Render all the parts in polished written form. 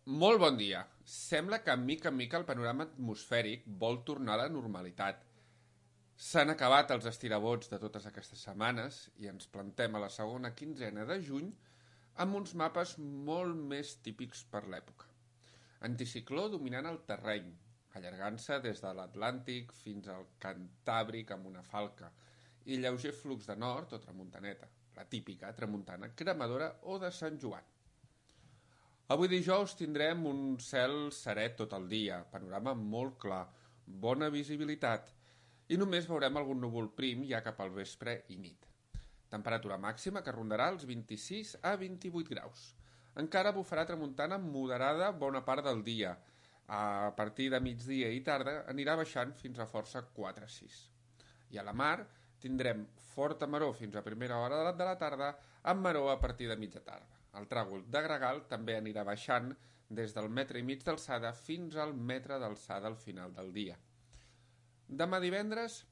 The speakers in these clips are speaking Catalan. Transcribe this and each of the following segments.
Molt bon dia. Sembla que mica en mica el panorama atmosfèric vol tornar a la normalitat. S'han acabat els estirabots de totes aquestes setmanes i ens plantem a la segona quinzena de juny amb uns mapes molt més típics per l'època. Anticicló dominant el terreny, allargant-se des de l'Atlàntic fins al Cantàbric amb una falca, i lleuger flux de nord o tramuntaneta, la típica tramuntana cremadora o de Sant Joan. Avui dijous tindrem un cel serè tot el dia, panorama molt clar, bona visibilitat, i només veurem algun núvol prim ja cap al vespre i nit. Temperatura màxima que rondarà els 26 a 28 graus. Encara bufarà tramuntana moderada bona part del dia. A partir de migdia i tarda anirà baixant fins a força 4-6. I a la mar tindrem forta maror fins a primera hora de la tarda, amb maror a partir de mitja tarda. El tràgol de gregal també anirà baixant des del metre i mig d'alçada fins al metre d'alçada al final del dia. Demà divendres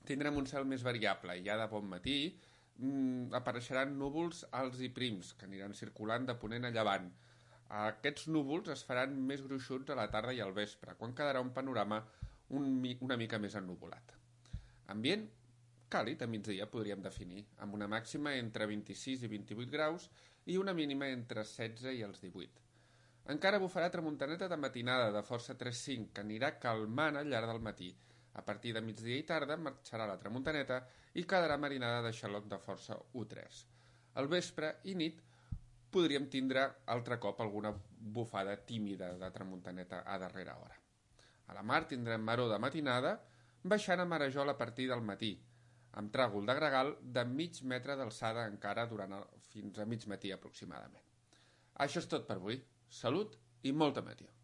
tindrem un cel més variable i ja de bon matí apareixeran núvols alts i prims que aniran circulant de ponent a llevant. Aquests núvols es faran més gruixuts a la tarda i al vespre, quan quedarà un panorama una mica més ennuvolat. Ambient càlid a migdia podríem definir, amb una màxima entre 26 i 28 graus i una mínima entre 16 i els 18. Encara bufarà tramuntaneta de matinada de força 3-5 que anirà calmant al llarg del matí. A partir de migdia i tarda marxarà la tramuntaneta i quedarà marinada de xaloc de força 1-3. Al vespre i nit podríem tindre altre cop alguna bufada tímida de tramuntaneta a darrera hora. A la mar tindrem maror de matinada, baixant a marejol a partir del matí, amb tràgol de gregal de mig metre d'alçada encara fins a mig matí aproximadament. Això és tot per avui. Salut i molta meteor.